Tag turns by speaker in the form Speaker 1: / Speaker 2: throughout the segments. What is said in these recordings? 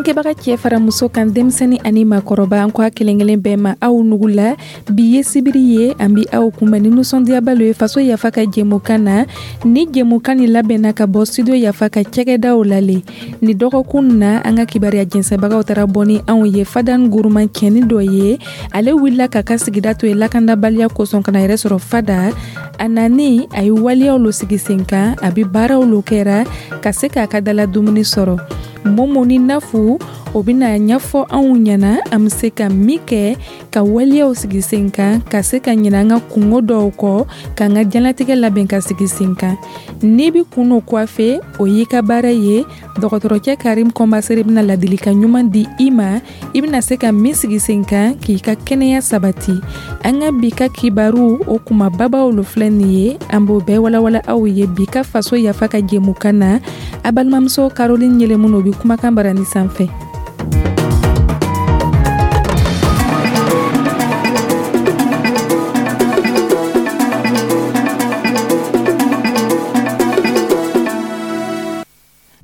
Speaker 1: Lamɛnnikɛbaga, cɛ fara muso kan, denmisɛnnin ani maakɔrɔba, an ko a kelen kelen bɛɛ ma, aw nugula. Bi ye sibiri ye, an bi aw kunbɛn ni nisɔndiyaba lo ye Faso Yafa ka jɛmukan na. Ni jɛmukan ni labɛnna ka bɔ Studio Yafa ka cɛgɛdaw la le. Ni dɔgɔkun na, an ka kibaruya jɛnsɛbagaw taara bɔ ni anw ye Fadan Guruman cɛni dɔ ye. Ale wulila k'a ka sigida to ye lakandabaliya kosɔn ka na yɛrɛ sɔrɔ Fada. A nani, a ye waleyaw lo sigi sen kan, a bi baaraw lo kɛra ka se k'a ka dala dumuni sɔrɔ. Momo ni Nafu o bɛna ɲɛfɔ anw ɲɛna an bɛ se ka min kɛ ka waleyaw sigi sen kan ka se ka ɲinɛ an ka kungo dɔw kɔ, k'an ka diɲɛlatigɛ labɛn ka sigi sen kan. N'i bɛ kun no coiffer, o y'i ka baara ye. Dɔgɔtɔrɔcɛ Karim Kɔnbasere bɛna ladilikan ɲuman di i ma, i bɛna se ka min sigi sen kan k'i ka kɛnɛya sabati. An ka bi ka kibaru o kumababaw lo filɛ nin ye, an b'o bɛɛ walawala aw ye bi ka Faso Yafa ka jɛmukan na. A balimamuso Caroline Yɛlɛmun o bɛ kumakan barani sanfɛ.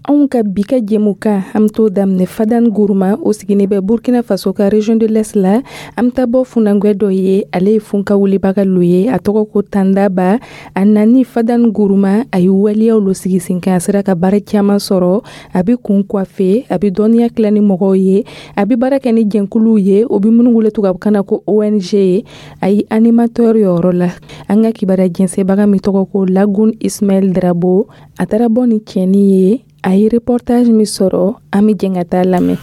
Speaker 1: Anw ka bi ka jɛmukan, an bɛ t'o daminɛ Fadan Guruma, o sigini bɛ Burkina Faso ka région de l'Est la. An bɛ taa bɔ funankɛ dɔ ye, ale ye funka wulibaga lo ye, a tɔgɔ ko Tandaba. A nani Fadan Guruma, a ye waleyaw lo sigi sen kan, a sera ka baara caman sɔrɔ. A bɛ kun coiffer, a bɛ dɔnniya tila ni mɔgɔw ye, a bɛ baara kɛ ni jɛnkuluw ye, o bɛ minnu wele tubabukan na ko ONG ye. A ye animateur yɔrɔ la. An ka kibaruya jɛnsɛbaga min tɔgɔ ko Lagun Ismaël Drabo, a taara bɔ ni cɛni ye, a ye reportage min sɔrɔ, an bɛ jɛn ka taa lamɛn.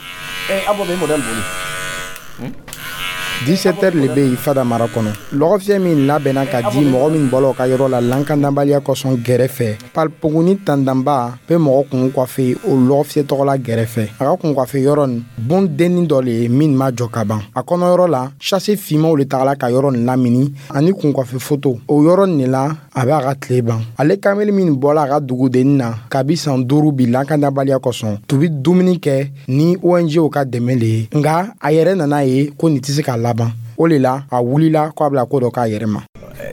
Speaker 2: 17 heures le bɛ yen Fada mara kɔnɔ. Lɔgɔfiyɛ min labɛnna ka di mɔgɔ min bɔla o ka yɔrɔ la lakanabaliya kosɔn gɛrɛfɛ, Palpoguni Tandanba bɛ mɔgɔ kun coiffer o lɔgɔfiyɛ tɔgɔ la gɛrɛfɛ. A ka kun coiffer yɔrɔ nin, bon dennin dɔ le ye min ma jɔ ka ban. A kɔnɔyɔrɔ la, sachet finmanw le tagala ka yɔrɔ nin lamini ani kun coiffer photo. O yɔrɔ nin de la a bɛ a ka tile ban. Ale kamalen min bɔla a ka dugudennin na kabi san 5 bi lakanabaliya kosɔn, tun bɛ dumuni kɛ ni ONG ka dɛmɛ le ye, nka a yɛrɛ nana ye ko nin tɛ se ka laban. O le la a wulila ko a bɛna ko dɔ k'a yɛrɛ ma.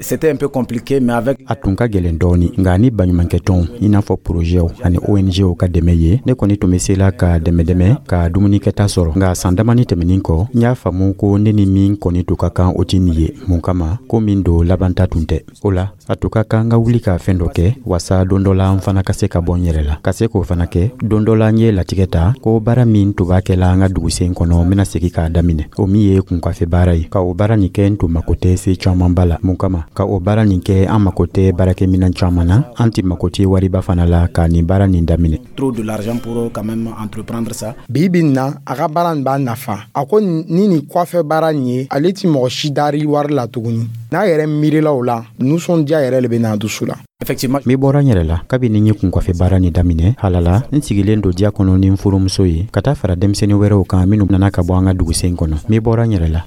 Speaker 3: C'était un peu compliqué, mais avec
Speaker 4: A tun ka gɛlɛn dɔɔni, nka ni baɲumankɛtɔnw, i n'a fɔ porozɛw ani ONGw ka dɛmɛ ye, ne kɔni tun bɛ se la ka dɛmɛ-dɛmɛ ka dumunikɛta sɔrɔ. Nka san damani tɛmɛnin kɔ, n y'a faamu ko ne ni min kɔni tun ka kan, o tɛ nin ye. Mun kama ko min don, labanta tun tɛ. O la a tun ka kan ka wuli ka fɛn dɔ kɛ wasa don dɔ la n fana ka se ka bɔ n yɛrɛ la, ka se k'o fana kɛ. Don dɔ la, n ye latigɛ ta ko baara min tun b'a kɛla an ka dugusen kɔnɔ, n bɛna segin k'a daminɛ, o min ye kunkafe baara ye. Ka o baara nin kɛ, n tun mako tɛ se camanba la. Mun kama ka o baara nin kɛ, an mako tɛ baarakɛminɛn caman na, an tɛ mako tɛ wariba fana la ka nin baara nin daminɛ.
Speaker 3: Trop de l'argent pour quand même entreprendre ça.
Speaker 2: Bi bi in na, a ka baara nin b'a nafa. A ko ni nin coiffer baara nin ye, ale ti mɔgɔ si dari wari la tuguni. N'a yɛrɛ miirila o la, nisɔndiya yɛrɛ le bɛ n'a dusu la.
Speaker 3: Effectivement.
Speaker 4: N bɛ bɔra n yɛrɛ la kabini n ye kunkafe baara nin daminɛ. Halala, n sigilen don diya kɔnɔ ni n furumuso ye, ka taa fara denmisɛnnin wɛrɛw kan minnu nana ka bɔ an ka dugusen kɔnɔ. N bɛ bɔra n yɛrɛ la.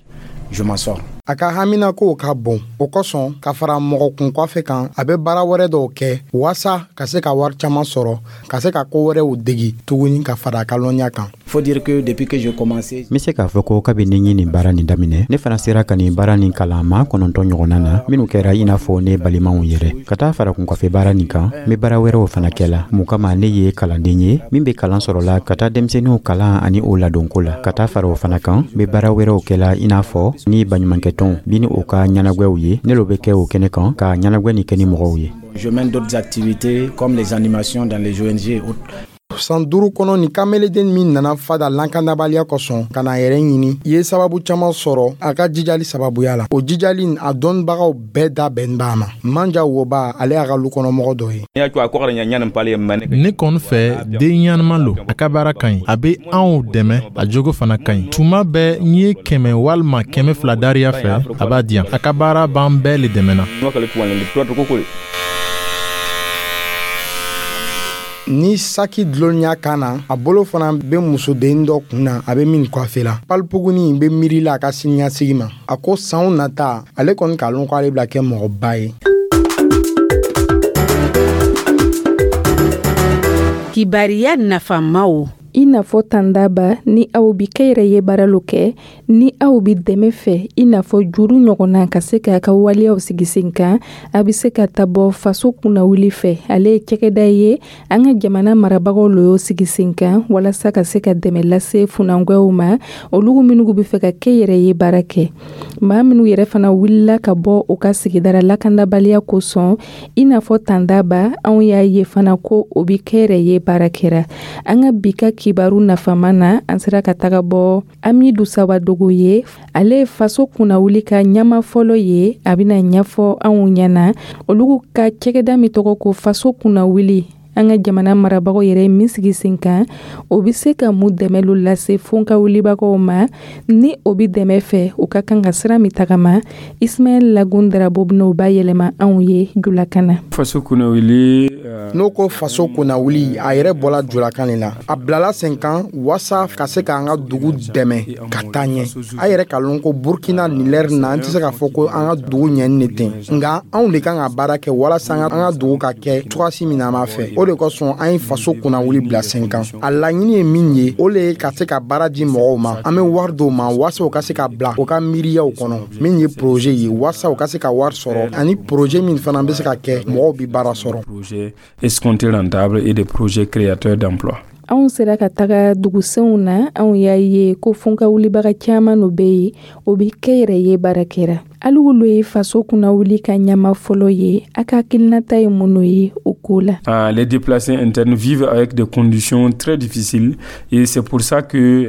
Speaker 3: Je m'en sors.
Speaker 2: A ka haminakow ka bon, o kosɔn, ka fara mɔgɔ kun coiffer kan, a bɛ baara wɛrɛ dɔw kɛ waasa ka se ka wari caman sɔrɔ, ka se ka ko wɛrɛw degi tuguni ka fara a ka lɔnniya kan.
Speaker 3: Faut dire que depuis que j'ai commencé,
Speaker 4: N bɛ se k'a fɔ ko kabini n ye nin baara nin daminɛ, ne fana sera ka nin baara nin kalan maa 9 ɲɔgɔnna na, minnu kɛra i n'a fɔ ne balimaw yɛrɛ. Ka taa fara kunkafe baara nin kan, n bɛ baara wɛrɛw fana kɛ la. Mun kama, ne ye kalanden ye min bɛ kalan sɔrɔ la ka taa denmisɛnninw kalan ani o ladonko la. Ka taa fara o fana kan, n bɛ baara wɛrɛw kɛ la, i n'a fɔ ni baɲumankɛtɔnw bi ni o ka ɲɛnagwɛw ye, ne lo bɛ kɛ o kɛnɛ kan ka ɲɛnagwɛ nin kɛ ni mɔgɔw ye.
Speaker 3: Je mène d'autres activités comme les animations dans les ONG et autres.
Speaker 2: San 5 kɔnɔ, nin kameleden min nana Fada lakanabaliya kosɔn ka na yɛrɛ ɲini, i ye sababu caman sɔrɔ a ka jijali sababuya la. O jijali, a dɔnnibagaw bɛɛ da bɛn b'a ma. Manja Woba, ale y'a ka lu kɔnɔmɔgɔ dɔ ye.
Speaker 5: Ne kɔni fɛ, den ɲanama lo, a ka baara ka ɲi, a bɛ anw dɛmɛ, a jogo fana ka ɲi. Tuma bɛɛ n ye 100 walima 200 dariya fɛ, a b'a di yan. A ka baara b'an bɛɛ le dɛmɛna.
Speaker 2: Ni saki dulonniya kan na, a bolo fana bɛ musoden dɔ kun na, a bɛ min coiffer la. Palipuguni bɛ miirila a ka siniɲɛsigi ma. A ko sanw nata, ale kɔni k'a lɔn ko ale bɛna kɛ mɔgɔba ye.
Speaker 6: Kibariya nafamaw.
Speaker 1: I n'a fɔ Tandaba, ni aw bi kɛyɛrɛye baara lo kɛ, ni aw bi dɛmɛ fɛ i n'a fɔ juru ɲɔgɔnna ka se k'a ka waleyaw sigi sen kan, a bɛ se ka ta bɔ Faso Kunnawuli fɛ. Ale ye cakɛda ye, an ka jamana marabagaw lo y'o sigi sen kan walasa ka se ka dɛmɛ lase funankɛw ma, olu minnu bɛ fɛ ka kɛyɛrɛye baara kɛ. Maa minnu yɛrɛ fana wulila ka bɔ u ka sigidara lakanabaliya kosɔn, i n'a fɔ Tandaba, anw y'a ye fana ko o bi kɛyɛrɛye baara kɛra. An ka bi ka kibaru nafama na, an sera ka taga bɔ Amidu Sawadogo ye. Ale ye Faso Kunnawuli ka ɲama fɔlɔ ye. A bɛna ɲɛfɔ anw ɲɛna olu ka cɛgɛda min tɔgɔ ko Faso Kunnawuli, an ka jamana marabagaw yɛrɛ min sigi sen kan, o bɛ se ka mun dɛmɛ lo lase fonka wulibagaw ma, ni o bɛ dɛmɛ fɛ, u ka kan ka sira min tagama. Ismaɛl Lagun Darabo bɛna o bayɛlɛma anw ye julakan na.
Speaker 6: Faso Kunnawuli.
Speaker 2: N'o ko Faso Kunnawuli, a yɛrɛ bɔla julakan de la. A bilala sen kan waasa ka se k'an ka dugu dɛmɛ ka taa ɲɛ. A yɛrɛ ka lɔn ko Burkina nin lɛri na, an tɛ se k'a fɔ ko an ka dugu ɲɛni de ten, nka anw de kan ka baara kɛ walasa an ka dugu ka kɛ cogoyasi min na an b'a fɛ. O de kosɔn an ye Faso Kunnawuli bila sen kan. A laɲini ye min ye, o le ye ka se ka baara di mɔgɔw ma. An bɛ wari d'o ma waasa u ka se ka bila u ka miiriyaw kɔnɔ, min ye projet ye, waasa u ka se ka wari sɔrɔ, ani projet min fana bɛ se ka kɛ mɔgɔw bɛ baara sɔrɔ.
Speaker 6: Projets escomptés rentables et des projets créateurs d'emplois.
Speaker 1: Anw sera ka taga dugusenw na, anw y'a ye ko funka wulibaga caman no bɛ yen, o bɛ kɛyɛrɛye baara kɛra. Hali wolo ye Faso Kunnawuli ka ɲama fɔlɔ ye, a ka hakilinata ye mun ye o ko la?
Speaker 6: Ah, les déplacés internes vivent avec des conditions très difficiles et c'est pour ça que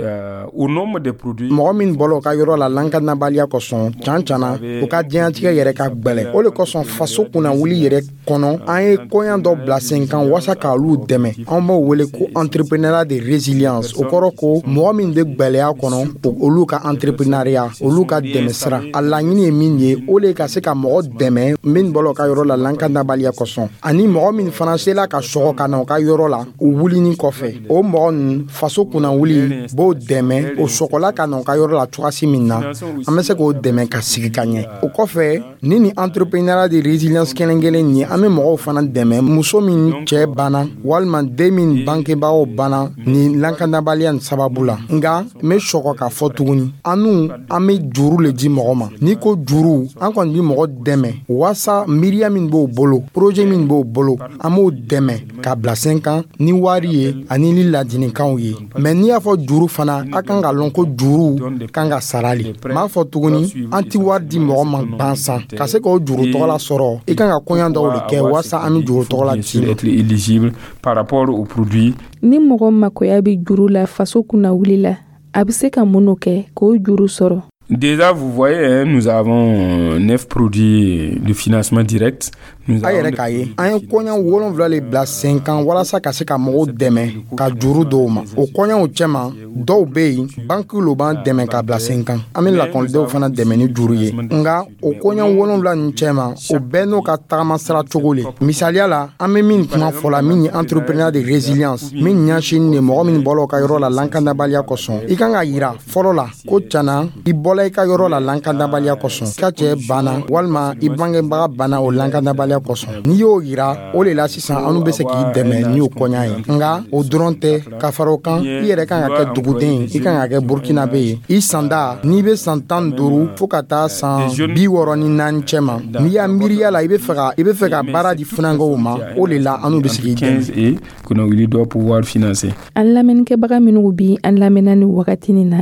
Speaker 6: au nombre des produits.
Speaker 2: Mɔgɔ min bɔla u ka yɔrɔ la lakanabaliya kosɔn, can cana u ka diɲɛtigɛ yɛrɛ ka gwɛlɛ. O le kosɔn Faso Kunnawuli yɛrɛ kɔnɔ, an ye koɲa dɔ bila sen kan waasa k'olu dɛmɛ. An b'o wele ko entrepreneuriat de résilience. O kɔrɔ ko mɔgɔ min bɛ gwɛlɛya kɔnɔ, olu ka entrepreneuriat, olu ka dɛmɛ sira. A laɲini ye min ye, o le ka se ka mɔgɔ dɛmɛ min bɔla u ka yɔrɔ la lakanabaliya kosɔn, ani mɔgɔ min fana sela ka sɔgɔ ka na u ka yɔrɔ la u wulini kɔfɛ. O mɔgɔ ninnu, Faso Kunnawuli b'o dɛmɛ o sɔgɔla ka na u ka yɔrɔ la cogoyasi min na, an bɛ se k'o dɛmɛ ka sigi ka ɲɛ. O kɔfɛ, ni entrepreneuriat de résilience kelen kelen ye, an bɛ mɔgɔw fana dɛmɛ, muso min cɛ banna walima den min bangebagaw banna nin lakanabaliya nin sababu la. Nka n bɛ sɔgɔ k'a fɔ tuguni, an n'u an bɛ juru le di mɔgɔ ma. N'i ko juru, an kɔni bɛ mɔgɔ dɛmɛ waasa miiriya min b'o bolo, projet min b'o bolo, an b'o dɛmɛ ka bila sen kan ni wari ye ani ni ladilikanw ye. Mɛ n'i y'a fɔ juru fana, a kan ka lɔn ko juru kan ka sara le. N b'a fɔ tuguni, an ti wari di mɔgɔ ma gansan. Ka se k'o juru tɔgɔla sɔrɔ, i kan ka koɲa dɔw de kɛ waasa an bɛ juru tɔgɔla
Speaker 6: di. Être éligible par rapport au produit.
Speaker 1: Ni mɔgɔ makoya bɛ juru la Faso Kunnawuli la, a bɛ se ka mun kɛ k'o juru sɔrɔ?
Speaker 6: Déjà, vous voyez, hein, nous avons neuf produits de financement direct.
Speaker 2: A yɛrɛ k'a ye, an ye kɔɲa 7 le bila sen kan walasa ka se ka mɔgɔw dɛmɛ ka juru dɔw ma. O kɔɲaw cɛma, dɔw be yen, banki lo b'an dɛmɛ ka bila sen kan. An be lakɔlidenw fana dɛmɛ ni juru ye. Nga o kɔɲa 7 nin cɛma, o bɛɛ n'o ka tagama sira cogo le. Misaliya la, an be min kuma fɔla, min ye entrepreneur de résilience, min ɲɛsinin de mɔgɔ min bɔla u ka yɔrɔ la lakanabaliya kosɔn, i kan ka yira fɔlɔ la ko cana i bɔla i ka yɔrɔ la lakanabaliya kosɔn, i ka cɛɛ banna walima i bangebaga banna o lakanabaliya kosɔn. N'i y'o yira, o le la sisan anw bɛ se k'i dɛmɛ ni o kɔɲa ye. Nga o dɔrɔn tɛ, ka fara o kan, i yɛrɛ kan ka kɛ duguden ye, i kan ka kɛ Burkinabe ye. I sanda n'i bɛ san 15 fo ka taa san 64 cɛ ma, n'i y'a miiriya la i bɛ fɛ ka i bɛ fɛ ka baara di funankɛw ma, o le la anw bɛ se k'i dɛmɛ.
Speaker 6: Kunnawuli doit pouvoir financer.
Speaker 1: An lamɛnnikɛbaga minnu bi an lamɛnna ni wagati nin na,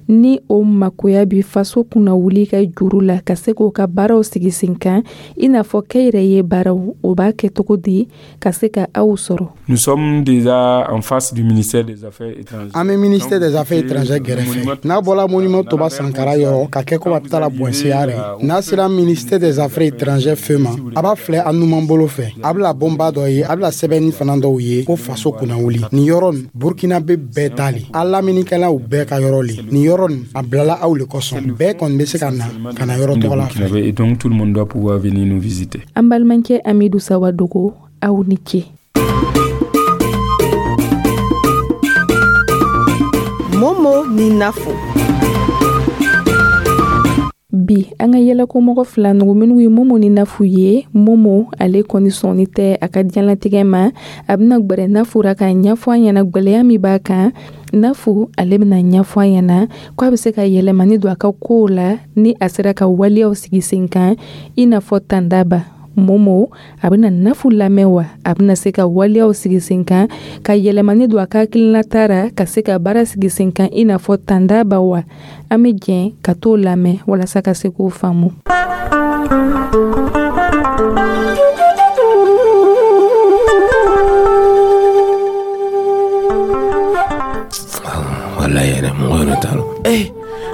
Speaker 1: ni o makoya bi Faso Kunnawuli ka juru la ka se k'o ka baaraw sigi sen kan, i n'a fɔ kɛyɛrɛye baaraw, o b'a kɛ cogo di ka se ka aw sɔrɔ?
Speaker 6: Nous sommes déjà en face du ministère des Affaires étrangères.
Speaker 2: An bɛ ministère des Affaires étrangères gɛrɛfɛ. N'a bɔla monument Toba Sankara yɔrɔ ka kɛ ko a bɛ taa la Bɔnseya rɛ, n'a sera ministère des Affaires étrangères feu ma, a b'a filɛ a numan bolo fɛ, a bɛna bonba dɔ ye, a bɛna sɛbɛnni fana dɔw ye ko Faso Kunnawuli. Nin yɔrɔ nin, Burkina bɛ bɛɛ ta le, a lamɛnnikɛlaw bɛɛ ka yɔrɔ le. Nin yɔrɔ nin, a bilala aw le kosɔn. Bɛɛ kɔni bɛ se ka na ka na yɔrɔ tɔgɔ la fɛ.
Speaker 6: Et donc tout le monde doit pouvoir venir nous visiter.
Speaker 1: An balimakɛ Amidu Sawadogo, aw ni ce.
Speaker 7: Momo ni Nafo.
Speaker 1: Bi an ka yɛlɛkomɔgɔ fila nugu minnu ye Momo ni Nafu ye. Momo, ale kɔni sɔnni tɛ a ka diɲɛlatigɛ ma. A bɛna gwɛrɛ Nafu ra k'a ɲɛfɔ a ɲɛna gwɛlɛya min b'a kan. Nafu ale bɛna ɲɛfɔ an ɲɛna ko a bɛ se ka yɛlɛmani don a ka kow la ni a sera ka waleyaw sigi sen kan i n'a fɔ Tandaba. Momo a bɛna Nafu lamɛn wa a bɛna se ka waleyaw sigi sen kan ka yɛlɛmani don a ka hakilinata ra ka se ka baara sigi sen kan i n'a fɔ Tandaba wa? An bɛ jɛn ka t'o lamɛn walasa ka se k'o faamu.
Speaker 8: Walayi yɛrɛ mɔgɔ yɛrɛ t'a dɔn.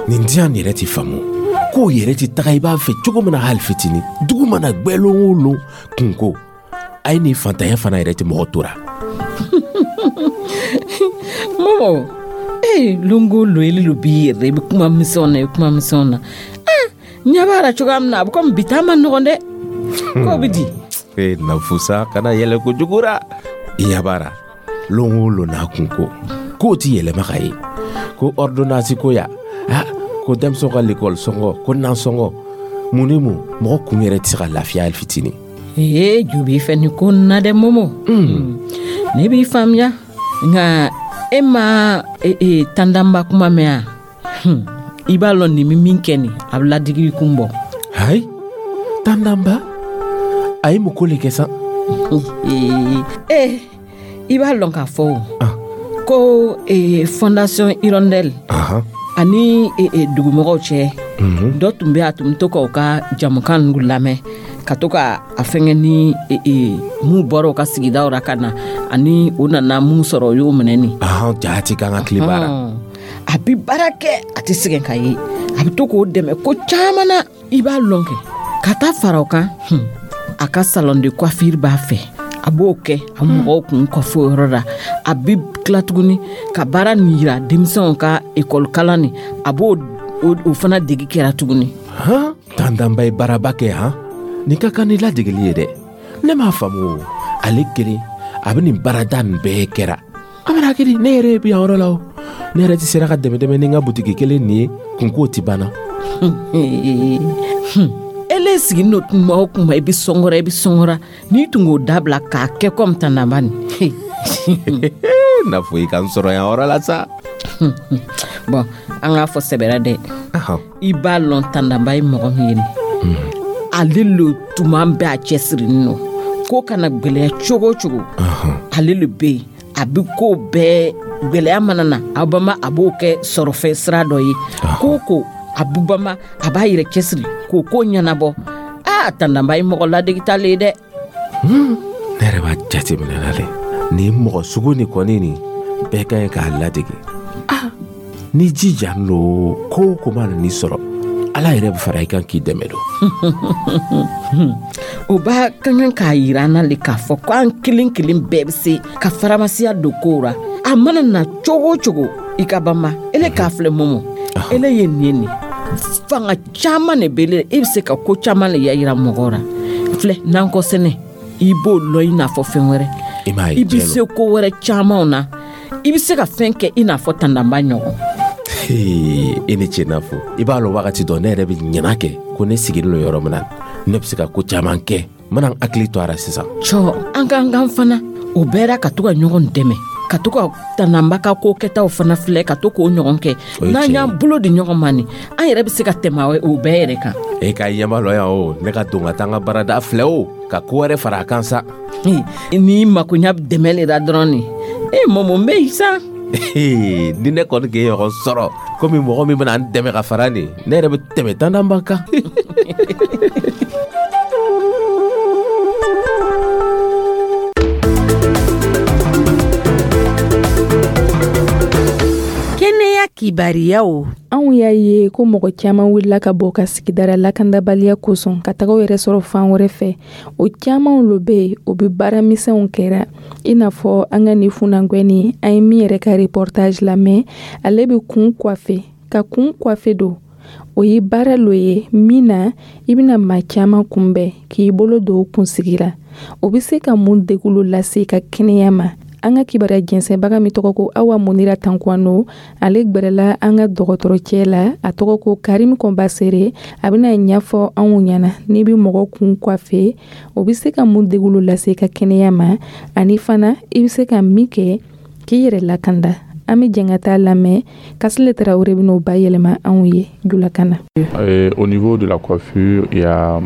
Speaker 8: Nin diya nin yɛrɛ ti faamu. Kow yɛrɛ ti taga i b'a fɛ cogo min na hali fitinin. Dugu mana gbɛ lon o lon kunko. A ye nin fantanya fana yɛrɛ ti mɔgɔ tora.
Speaker 9: Momo, longo lo ele lo b'i yɛrɛ i bɛ kuma misɛnw na i bɛ kuma misɛnw na. Ɲɛ b'a la cogoya min na a bɛ komi bi ta ma nɔgɔn dɛ. K'o bɛ di.
Speaker 8: Nafusa kana yɛlɛ kojugu ra. I ɲɛ b'a la lon o lon n'a kunko. K'o ti yɛlɛma ka ye. Ko ordonnance ko ya. Ko denmisɛnw ka l'école sɔngɔ ko nansɔngɔ mun ni mun mɔgɔ kun yɛrɛ tɛ se ka lafiya hali fitinin.
Speaker 9: Ee jo b'i fɛ nin ko nin na dɛ Momo. Ne b'i faamuya nka e ma Tandamba kuma mɛn wa? I b'a lɔn nin bɛ min kɛ nin a bɛ ladigi kun bɔ.
Speaker 8: Hayi Tandamba a ye mun ko le kɛ sa?
Speaker 9: I b'a lɔn k'a fɔ o. Ko fondation Hirondelle. Ani dugumɔgɔw cɛ dɔ tun bɛ a tun bɛ to k'u ka jamukan ninnu lamɛn ka to ka a fɛngɛ ni mun bɔra u ka sigidaw la ka na ani u nana mun sɔrɔ o y'o minɛ nin.
Speaker 8: Jaati k'an ka tile baara.
Speaker 9: A bɛ baara kɛ a tɛ sɛgɛn ka ye a bɛ to k'o dɛmɛ ko caman na i b'a lɔn kɛ ka taa fara o kan a ka salon de coiffure b'a fɛ. A b'o kɛ a mɔgɔw kun kɔfɛ o yɔrɔ la a bɛ tila tuguni ka baara nin yira denmisɛnw ka ekɔli kalan nin a b'o o fana degi kɛra tuguni.
Speaker 8: Tandamba ye baaraba kɛ han nin ka kan ni ladegeli ye dɛ ne m'a faamu o ale kelen a bɛ nin baarada nin bɛɛ kɛra a bɛna kɛ di ne yɛrɛ bɛ yan yɔrɔ la o ne yɛrɛ tɛ sera ka dɛmɛ dɛmɛ ni n ka butigi kelen nin ye kunko ti banna.
Speaker 9: Ele siginin don kuma o kuma i bɛ sɔngɔra i bɛ sɔngɔra n'i tun k'o dabila k'a kɛ komi Tandamba nin.
Speaker 8: N'a fɔ i ka n sɔrɔ yan yɔrɔ la sa.
Speaker 9: Bɔn an k'a fɔ sɛbɛra dɛ. I b'a lɔn Tandamba ye mɔgɔ min ye nin. Ale lo tuma bɛɛ a cɛsirinin don ko kana gɛlɛya cogo o cogo. Ale lo bɛ yen a bɛ ko bɛɛ gɛlɛya mana na a bama a b'o kɛ sɔrɔfɛn sira dɔ ye. Ko o ko a bɛ bama a b'a yɛrɛ cɛsiri k'o ko ɲɛnabɔ. Tandamba ye mɔgɔ ladegita le ye dɛ.
Speaker 8: Ne yɛrɛ b'a jateminɛ la dɛ nin mɔgɔ sugu nin kɔni nin bɛɛ ka ɲi k'a ladege. Ni jija lo ko o ko mana n'i sɔrɔ ala yɛrɛ bɛ fara i kan k'i dɛmɛ don.
Speaker 9: O b'a ka kan k'a yira an na le k'a fɔ ko an kelen kelen bɛɛ bɛ se ka faramasiya don kow ra. A mana na cogo o cogo i ka banba ele k'a filɛ Momo ele ye nin ye nin fanga caman de bɛ e bɛ se ka ko caman le yira mɔgɔw ra filɛ nankɔ sɛnɛ i b'o lɔn i n'a fɔ fɛn wɛrɛ i bɛ se ko wɛrɛ camanw na i bɛ se ka fɛn kɛ i n'a fɔ Tandamba ɲɔgɔn.
Speaker 8: E ni ce n'a fɔ i b'a lɔn wagati dɔ ne yɛrɛ bɛ ɲɛna kɛ ko ne sigilen don yɔrɔ min na ne bɛ se ka ko caman kɛ n mana n hakili to a la sisan.
Speaker 9: Cɔ an k'an kan fana o bɛɛ ka to ka ɲɔgɔn dɛmɛ ka to ka Tandamba ka ko kɛtaw fana filɛ ka to k'o ɲɔgɔn kɛ n'an y'an bolo di ɲɔgɔn ma nin an yɛrɛ bɛ se ka tɛmɛ o bɛɛ yɛrɛ kan.
Speaker 8: E ka ɲɛma lɔ yan o ne ka don ka taa n ka baarada filɛ o ka ko wɛrɛ fara a kan sa.
Speaker 9: N'i makoɲa dɛmɛ le la dɔrɔn nin Momo n bɛ yen sa.
Speaker 8: Ni ne kɔni k'e ɲɔgɔn sɔrɔ komi mɔgɔ min bɛna n dɛmɛ ka fara nin ne yɛrɛ bɛ tɛmɛ Tandamba kan.
Speaker 7: Kɛnɛya kibariyaw.
Speaker 1: Anw y'a ye ko mɔgɔ caman wulila ka bɔ ka sigidara lakandabaliya kosɔn ka taga u yɛrɛ sɔrɔ fan wɛrɛ fɛ. O caman lo bɛ yen o bɛ baara misɛnw kɛra i n'a fɔ an ka nin funankɛnin an ye min yɛrɛ ka reportage lamɛn ale bɛ kun coiffer ka kun coiffer don o ye baara lo ye min na i bɛna maa caman kunbɛn k'i bolo don o kunsigi la o bɛ se ka mun degun lo lase i ka kɛnɛya ma. An ka kibaruya jɛnsɛnbaga min tɔgɔ ko Awa Munira Tankwano ale gbɛrɛla an ka dɔgɔtɔrɔcɛ la a tɔgɔ ko Karim Kɔnbasere a bɛna ɲɛfɔ anw ɲɛna n'i bɛ mɔgɔ kun coiffer o bɛ se ka mun degun lase i ka kɛnɛya ma ani fana i bɛ se ka min kɛ k'i yɛrɛ lakanda. An bɛ jɛn ka taa lamɛn. Kasile Tarawele bɛn'o bayɛlɛma anw ye julakan na.
Speaker 10: Au niveau de la coiffure, il y a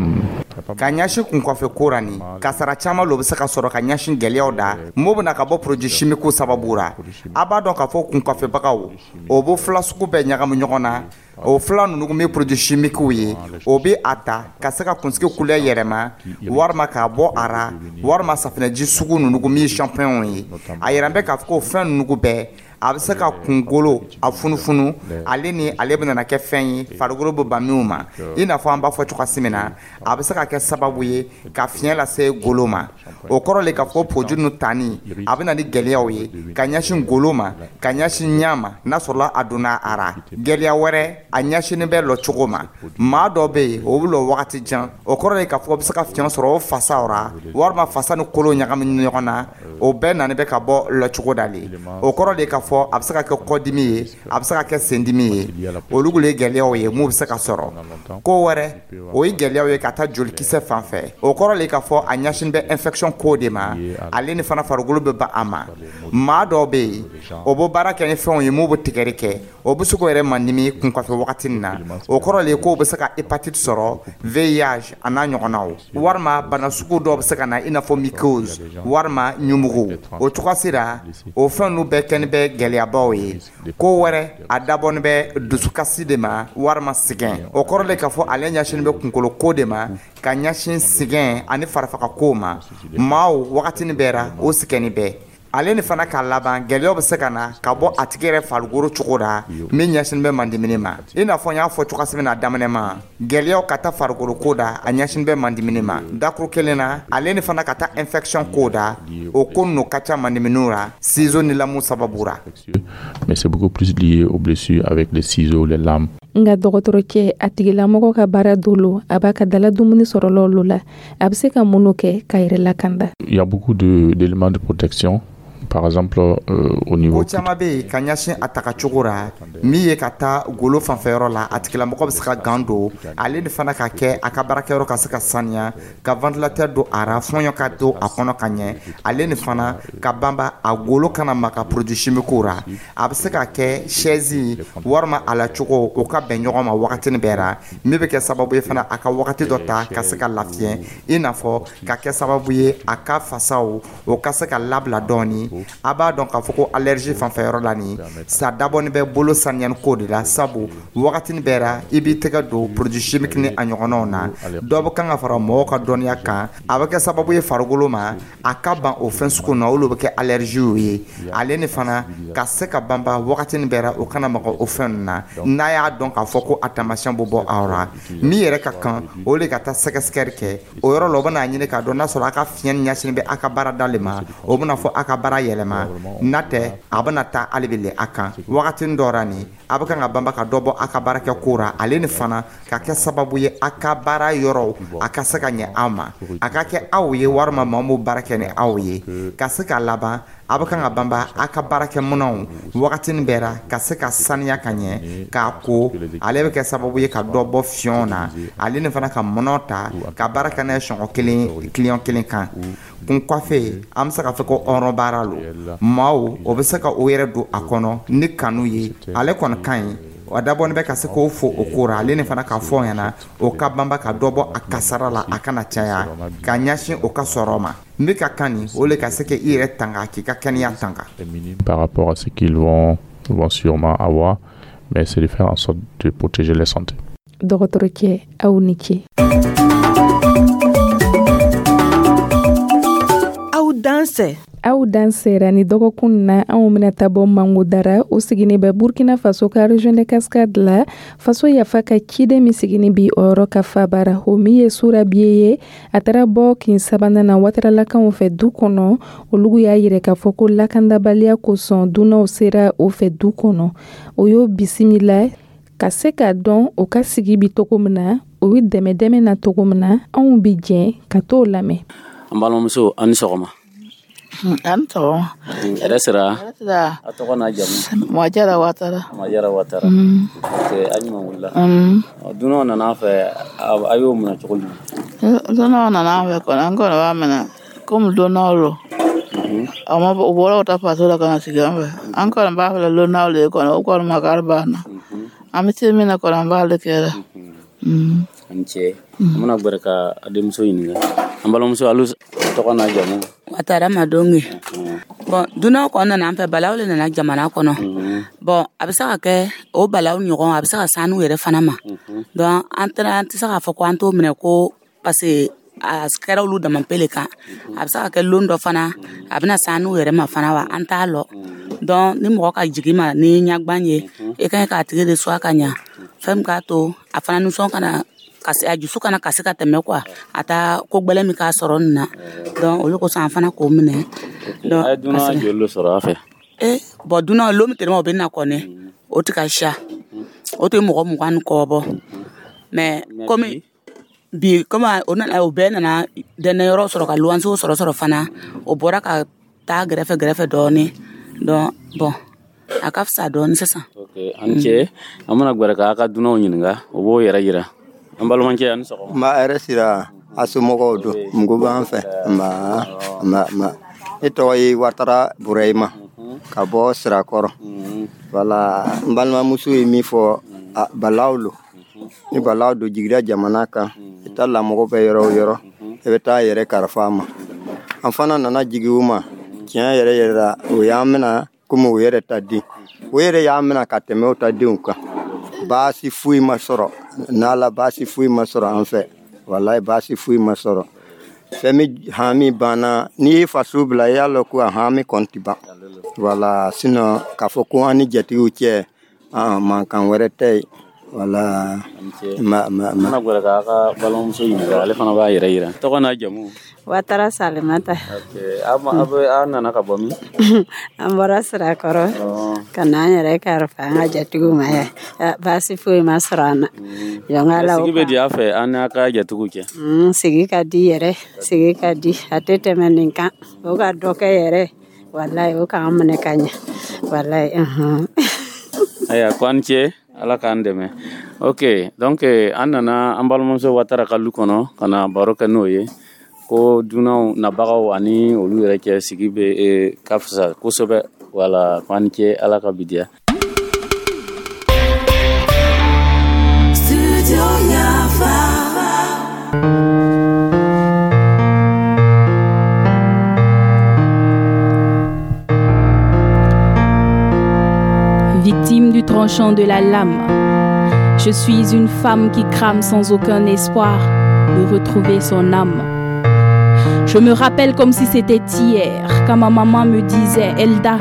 Speaker 11: Ka ɲɛsin kunkɔfɛ ko ra, ni kasara caman lo bɛ se ka sɔrɔ ka ɲɛsin gɛlɛyaw da mo bɛna ka bɔ produit chimique sababu ra. A b'a dɔn k'a fɔ kunkɔfɛbagaw, o bɛ fila sugu bɛɛ ɲagami ɲɔgɔn na. O fila ninnu bɛ produit chimique ye, o bɛ a ta ka se ka kunsigi couleur yɛlɛma, walima k'a bɔ a ra, walima safinɛji sugu ninnu min ye shampoing ye. A yɛrɛ bɛ k'a fɔ ko fɛn ninnu bɛɛ, a bɛ se ka kunkolo a funufunu, ale ni ale bɛna kɛ fɛn ye farikolo bɛ ban minw ma. I n'a fɔ an b'a fɔ cogoya min na, a bɛ se ka kɛ sababu ye ka fiɲɛ lase golo ma. O kɔrɔ le k'a fɔ produit ninnu tani, a bɛ na ni gɛlɛyaw ye ka ɲɛsin golo ma, ka ɲɛsin ɲa ma, n'a sɔrɔla a donna a ra. Gɛlɛya wɛrɛ, a ɲɛsinnen bɛ lɔ cogo ma. Maa dɔ bɛ yen, o bɛ lɔ wagati jan. O kɔrɔ ye k'a fɔ bɛ se ka fiɲɛ sɔrɔ o fasaw ra, walima fasa ni kolo ɲagami ɲɔgɔn na. O bɛɛ nani bɛ ka bɔ lɔcogo da le. O kɔrɔ de k'a fɔ a bɛ se ka kɛ kɔdimi ye, a bɛ se ka kɛ sendimi ye. Olu le ye gɛlɛyaw ye mun bɛ se ka sɔrɔ. Ko wɛrɛ, o ye gɛlɛyaw ye ka taa jolikisɛ fan fɛ. O kɔrɔ le k'a fɔ a ɲɛsin bɛ infection ko de ma, ale ni fana farikolo bɛ ban a ma. Maa dɔw bɛ yen, o bɛ baara kɛ ni fɛnw ye mun bɛ tigɛri kɛ, o bɛ se k'o yɛrɛ mandimi kunkɔfɛ wagati nin na. O kɔrɔ le k'o bɛ se ka hépatite sɔrɔ, VIH a n'a ɲɔgɔnnaw, walima bana sugu dɔw bɛ se ka na, i n'a fɔ mycose walima ɲumugu. O cogoya la, o fɛn ninnu bɛɛ kɛni bɛ gɛlɛyabaw ye. Ko wɛrɛ, a dabɔni bɛ dusukasi de ma, walima sɛgɛn. O kɔrɔ le k'a fɔ ale ɲɛsinnen bɛ kunkolo ko de ma, ka ɲɛsin sɛgɛn ani farafagako ma. Maaw wagatinin bɛɛ ra, o sɛgɛnni bɛɛ ale ni fana k'a laban, gɛlɛyaw bɛ se ka na ka bɔ a tigi yɛrɛ farikolo cogo la min ɲɛsin bɛ mandimini ma. I n'a fɔ n y'a fɔ cogoya min na daminɛ ma, gɛlɛyaw ka taa farikolo ko da, a ɲɛsin bɛ mandimini ma dakuru kelen na, ale ni fana ka taa infection ko da. O ko ninnu ka ca mandiminiw la, ciseaux ni lamu sababu ra.
Speaker 10: Mais c'est beaucoup plus lié aux blessures avec les ciseaux, les lames.
Speaker 1: Nka dɔgɔtɔrɔcɛ, a tigilamɔgɔ ka baara dolo, a b'a ka dala dumuni sɔrɔlaw la, a bɛ se ka mun kɛ ka yɛrɛ lakanda?
Speaker 10: Il y a beaucoup d'éléments de protection, par exemple au niveau
Speaker 11: Ko caman bɛ yen ka ɲɛsin a taga cogo ra min ye ka taa golo fanfɛyɔrɔ la. A tigilamɔgɔ bɛ se ka gant don, ale ni fana ka kɛ a ka baarakɛyɔrɔ ka se ka saniya, ka ventilateur don a ra, fɔɲɔ ka don a kɔnɔ ka ɲɛ, ale ni fana ka banba a golo kana maga produit chimique ra. A bɛ se ka kɛ chaise walima a la cogo, o ka bɛn ɲɔgɔn ma wagatinin bɛɛ ra, min bɛ kɛ sababu ye fana a ka wagati dɔ ta ka se ka lafiɲɛ, i n'a fɔ ka kɛ sababu ye a ka fasaw, o ka se ka labila dɔɔni. A b'a dɔn k'a fɔ ko allergie fanfɛyɔrɔ la nin sa, dabɔni bɛ bolo saniyani ko de la, sabu wagatinin bɛɛ ra i b'i tɛgɛ don produit chimique ni a ɲɔgɔnnaw na. Dɔ bɛ kan ka fara mɔgɔw ka dɔnniya kan, a bɛ kɛ sababu ye farikolo ma a ka ban o fɛn sugu na, olu bɛ kɛ allergie ye. Ale ni fana ka se ka banba wagatinin bɛɛ ra, o kana maga o fɛn ninnu na. N'a y'a dɔn k'a fɔ ko a taamasiyɛn bɛ bɔ aw ra, min yɛrɛ ka kan, o de ka taa sɛgɛsɛgɛli kɛ o yɔrɔ la. O bɛna ɲini k'a dɔn n'a sɔrɔ a ka fiɲɛ ɲɛsinnen bɛ a ka baarada le ma, o bɛna fɔ a ka baara yɛlɛma. N'a tɛ, a bɛna taa hali bi le a kan wagatinin dɔ ra nin, a bɛ kan ka banba ka dɔ bɔ a ka baarakɛ ko ra, ale ni fana ka kɛ sababu ye a ka baara yɔrɔ a ka se ka ɲɛ aw ma, a ka kɛ aw ye walima maa min baara kɛ ni aw ye ka se ka laban. A bɛ kan ka banba a ka baarakɛminɛnw wagatinin bɛɛ ra ka se ka saniya ka ɲɛ k'a ko. Ale bɛ kɛ sababu ye ka dɔ bɔ fiɲɛw na, ale ni fana ka mɔnɔ ta ka baara kɛ n'a ye sɔngɔ kelen client kelen kan. Kun kɔfɛ, an bɛ se k'a fɔ ko hɔrɔn baara lo. Maaw o bɛ se ka o yɛrɛ don a kɔnɔ ni kanu ye, ale kɔni ka ɲi. A dabɔni bɛ ka se k'o fo o ko ra, ale ni fana k'a fɔ ɲɛna o ka banba ka dɔ bɔ a kasara la, a kana caya ka ɲɛsin o ka sɔrɔ ma. N bɛ ka kan nin o le ka se k'i yɛrɛ tanga, k'i ka kɛnɛya tanga.
Speaker 10: Par rapport à ce qu'ils vont sûrement avoir, mais c'est de faire en sorte de protéger leur santé.
Speaker 1: Dɔgɔtɔrɔcɛ, aw ni ce.
Speaker 7: Aw dansɛ.
Speaker 1: Aw dan sera ni dɔgɔkun na. Anw bɛna taa bɔ Mangodara, o sigini bɛ Burkina Faso ka région de Cascade la. Faso Yafa ka ciden min sigini bi o yɔrɔ ka fabara, o min ye Sura Biye ye, a taara bɔ kin sabanan na Wataralakaw fɛ du kɔnɔ. Olu y'a yira k'a fɔ ko lakandabaliya kosɔn, dunanw sera o fɛ du kɔnɔ, o y'o bisimila ka se k'a dɔn o ka sigi bi cogo min na, o bɛ dɛmɛ dɛmɛ na cogo min na. Anw bi jɛn ka t'o lamɛn.
Speaker 12: An balimamuso, an ni sɔgɔma.
Speaker 13: An sɔgɔma.
Speaker 12: Hɛrɛ sira. A tɔgɔ n'a jamu?
Speaker 13: Majara Watara.
Speaker 12: Majara Watara. Ok, a ɲuman wulila. Dunanw nana fɛ, a y'o minɛ cogo jumɛn?
Speaker 13: Dunanw nana an fɛ kɔni, an kɔni b'a minɛ komi dunanw lo. A ma u bɔra ka taa faso la ka na sigi an fɛ. An kɔni b'a fɛ lonnaw le kɔnɔ, o kɔni makari b'an na. An bɛ se min na kɔni, an b'ale kɛra.
Speaker 12: An cɛ, an bɛna gbɛrɛ ka denmuso ɲininka. An balimamuso, alu tɔgɔ n'a jamu?
Speaker 14: Watara Madonge. Bon, dunanw kɔni nana an fɛ, balaw le nana jamana kɔnɔ. Bon, a bɛ se ka kɛ o balaw ɲɔgɔn, a bɛ se ka s'an n'u yɛrɛ fana ma. Donc an tɛna, an tɛ se k'a fɔ ko an t'o minɛ ko parce que a kɛra olu dama pe le kan. A bɛ se ka kɛ lon dɔ fana, a bɛna s'an n'u yɛrɛ ma fana wa, an t'a lɔ. Donc ni mɔgɔ ka jigin ma ni ɲagban ye, i ka ɲi k'a tigi de suwa ka ɲa. Fɛn min k'a to a fana nisɔn kana kasi, a dusu kana kasi ka tɛmɛ quoi, a taa ko gbɛlɛ min k'a sɔrɔ nin na. Donc olu kosɔn an fana k'o minɛ. Donc
Speaker 12: a ye dunan joli de sɔrɔ a fɛ?
Speaker 14: Bon, dunan lon min tɛmɛ o bɛ na kɔni, o tɛ ka siya, o tɛ mɔgɔ 20 ni kɔ bɔ. Mais komi bi, komi o nana, o bɛɛ nana dɛnɛyɔrɔ sɔrɔ ka luwansew sɔrɔ fana, o bɔra ka taa gɛrɛfɛ gɛrɛfɛ dɔɔni. Donc bon, a ka fisa dɔɔni sisan.
Speaker 12: Ok, an cɛ, an bɛna gbɛrɛ k'a ka dunanw ɲininka, o b'o yɛrɛ yira. An balimakɛ, a ni sɔgɔma.
Speaker 15: N ba, hɛrɛ sira. A somɔgɔw don? Mugu b'an fɛ. Nba, nba, nba. Ne tɔgɔ ye Watara Burahima ka bɔ Sirakɔrɔ. Wala, n balimamuso ye min fɔ, balaw lo. Ni balaw don jigira jamana kan, i ta lamɔgɔ bɛ yɔrɔ o yɔrɔ, i bɛ taa yɛrɛ kalifa a ma. An fana nana jigin u ma. Tiɲɛ yɛrɛ yɛrɛ la, o y'an mina komi o yɛrɛ ta den. O yɛrɛ y'an mina ka tɛmɛ o ta denw kan. Baasi foyi ma sɔrɔ n'ala, baasi foyi ma sɔrɔ an fɛ. Walayi, baasi foyi ma sɔrɔ. Fɛn min hami banna, n'i ye faso bila, i y'a lɔn ko a hami kɔni tɛ ban. Wala, sinon k'a fɔ ko an ni jatigiw cɛ, mankan wɛrɛ tɛ yen. Wala, ma ma ma.
Speaker 12: An bɛna gbɛrɛ k'a ka balimamuso ɲininka, ale fana b'a yɛrɛ yira. Tɔgɔ n'a jamu?
Speaker 16: Watara Salimata.
Speaker 12: Ok, aw nana ka bɔ min?
Speaker 16: An bɔra Sirakɔrɔ ka na an yɛrɛ kalifa an ka jatigiw ma yan. Baasi foyi ma sɔrɔ an na. Jɔn
Speaker 12: Sigi bɛ di a fɛ an n'a ka jatigiw cɛ?
Speaker 16: Sigi ka di yɛrɛ, sigi ka di, a tɛ tɛmɛ nin kan. O ka dɔ kɛ yɛrɛ, walayi, o k'an minɛ ka ɲɛ. Walayi.
Speaker 12: Ayiwa, ko an cɛ, ala k'an dɛmɛ. Ok, donc an nana an balimamuso Watara ka lu kɔnɔ ka na baro kɛ n'o ye ko dunanw nabagaw ani olu yɛrɛ cɛ sigi bɛ ka fisa kosɛbɛ. Wala, ko an cɛ, ala ka bi diya.
Speaker 17: Victime du tranchant de la lame, je suis une femme qui crame sans aucun espoir de retrouver son âme. Je me rappelle comme si c'était hier, quand ma maman me disait Elda.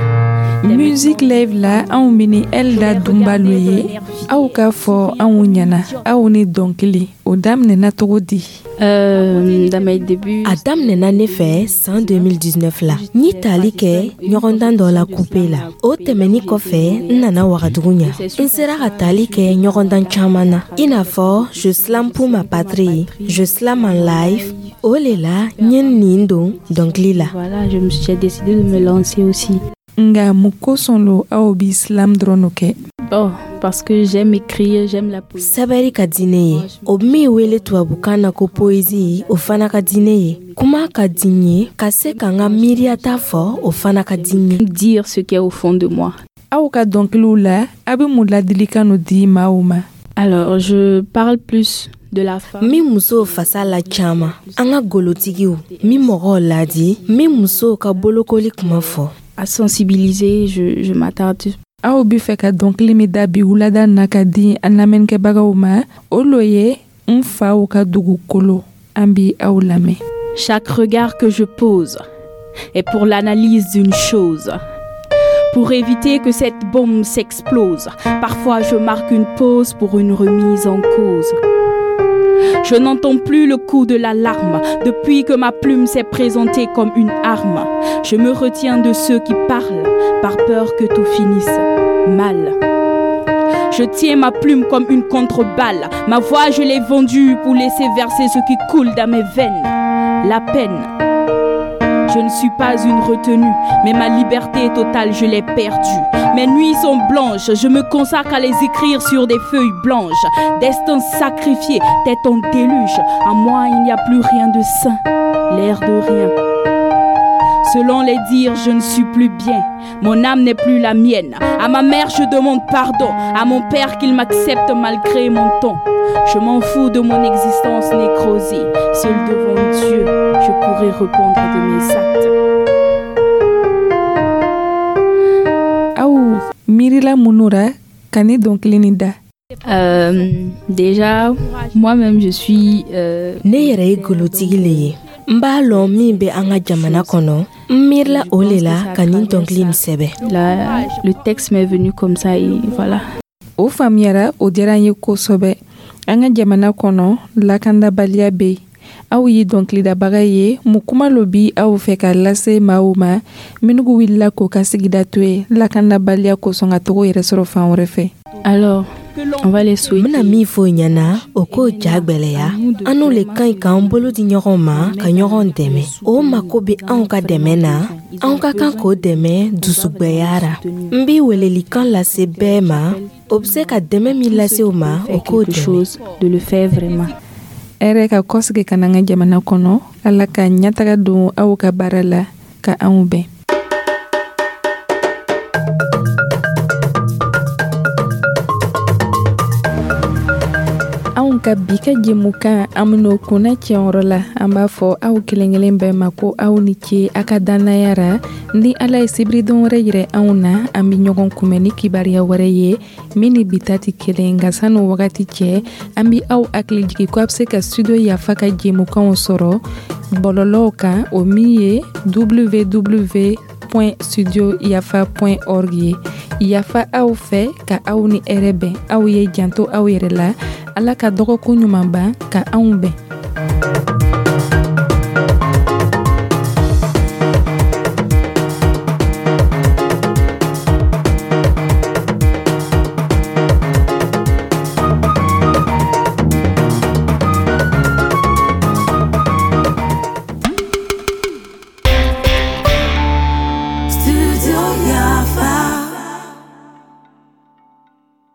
Speaker 1: Musique live la, anw bɛ ni Elda Dunbalo ye. Aw k'a fɔ anw ɲɛna, aw ni dɔnkili o daminɛna cogo di?
Speaker 17: Dans mes débuts,
Speaker 18: A daminɛna ne fɛ san 2019 la. N ye tali kɛ ɲɔgɔndan dɔ la coupe la. O tɛmɛni kɔfɛ, n nana Wagadugu ɲa. N sera ka tali kɛ ɲɔgɔndan caman na, i n'a fɔ Je slam pour ma patrie, Je slam en live. O le la n ye nin don dɔnkili la.
Speaker 17: Voilà, je me suis j'ai décidé de me lancer aussi.
Speaker 1: Nga mun kosɔn lo aw bi slam dɔrɔn no kɛ?
Speaker 17: Oh, parce que j'aime écrire, j'aime la poésie.
Speaker 18: Sɛbɛri ka di ne ye. O min wele tubabukan na ko poésie, o fana ka di ne ye. Kuma ka di n ye, ka se ka n ka miiriyata fɔ, o fana ka di n ye.
Speaker 17: Dire ce qui est au fond de moi.
Speaker 1: Aw ka dɔnkiliw la, a bɛ mun ladilikan no di maaw ma?
Speaker 17: Alors, je parle plus de la femme.
Speaker 18: Min musow fasa la caman, an ka golotigiw, min mɔgɔw ladi, min musow ka bolokoli kuma fɔ.
Speaker 17: À sensibiliser, je m'attarde.
Speaker 1: Aw bi fɛ ka dɔnkili min da bi wulada na ka di an lamɛnnikɛbagaw ma, o lo ye N faw ka dugukolo. An bi aw lamɛn.
Speaker 17: Chaque regard que je pose est pour l'analyse d'une chose, pour éviter que cette bombe s'explose. Parfois, je marque une pause pour une remise en cause. Je n'entends plus le coup de l'alarme depuis que ma plume s'est présentée comme une arme. Je me retiens de ceux qui parlent par peur que tout finisse mal. Je tiens ma plume comme une contreballe. Ma voix, je l'ai vendue pour laisser verser ce qui coule dans mes veines. La peine. Je ne suis pas une retenue, mais ma liberté totale, je l'ai perdue. Mes nuits sont blanches, je me consacre à les écrire sur des feuilles blanches. Destin sacrifié, tête en déluge. En moi, il n'y a plus rien de sain, l'air de rien. Selon les dires, je ne suis plus bien. Mon âme n'est plus la mienne. À ma mère, je demande pardon. À mon père, qu'il m'accepte malgré mon ton. Je m'en fous de mon existence nécrosée. Seul devant Dieu, je pourrai répondre de mes actes.
Speaker 1: Aw miirila mun ra ka ni dɔnkili nin da?
Speaker 17: Déjà, moi-même, je suis.
Speaker 18: Ne yɛrɛ ye golotigi le ye. N b'a lɔn min bɛ an ka jamana kɔnɔ. N miirila o le la ka nin dɔnkili nin sɛbɛ.
Speaker 17: Le texte m'est venu comme ça et voilà.
Speaker 1: O faamuyara, o diyara an ye kosɛbɛ. An ka jamana kɔnɔ, lakandabaliya bɛ yen. Aw ye dɔnkilidabaga ye, mun kuma lo bi aw fɛ ka lase maaw ma minnu wulila k'o ka sigida to ye lakandabaliya kosɔn ka togo yɛrɛ sɔrɔ fan wɛrɛ fɛ?
Speaker 17: Alors, on va les souhaiter.
Speaker 18: N bɛna min fɔ o ɲɛna, o k'o ja gwɛlɛya. An n'u le ka ɲi k'an bolo di ɲɔgɔn ma ka ɲɔgɔn dɛmɛ. O mako bɛ anw ka dɛmɛ na, anw ka kan k'o dɛmɛ dusugwɛya ra. N bi welelikan lase bɛɛ ma, o bɛ se ka dɛmɛ min lase o ma, o k'o dɛmɛ.
Speaker 17: De le faire vraiment.
Speaker 1: Hɛrɛ ka kɔsigi ka na an ka jamana kɔnɔ. Ala ka ɲɛtaga don aw ka baara la ka anw bɛn. Anw ka bi ka jɛmukan, an ben'o kunna cɛyɔrɔ la. An b'a fɔ aw kelen kelen bɛɛ ma ko aw ni ce a ka dannaya ra. Ni Ala ye sibiridon wɛrɛ yirɛ anw na, an be ɲɔgɔn kunbɛn ni kibaruya wɛrɛ ye min ni bi ta tɛ kelen. Nka san'o wagati cɛ, an be aw hakili jigi ko a be se ka Studio Yafa ka jɛmukanw sɔrɔ bɔlɔlɔw kan, o min ye www.studioyafa.org ye. Yafa aw fɛ ka aw ni hɛrɛ bɛn. Aw ye janto aw yɛrɛ la. Ala ka dɔgɔkun ɲuman ban ka anw bɛn.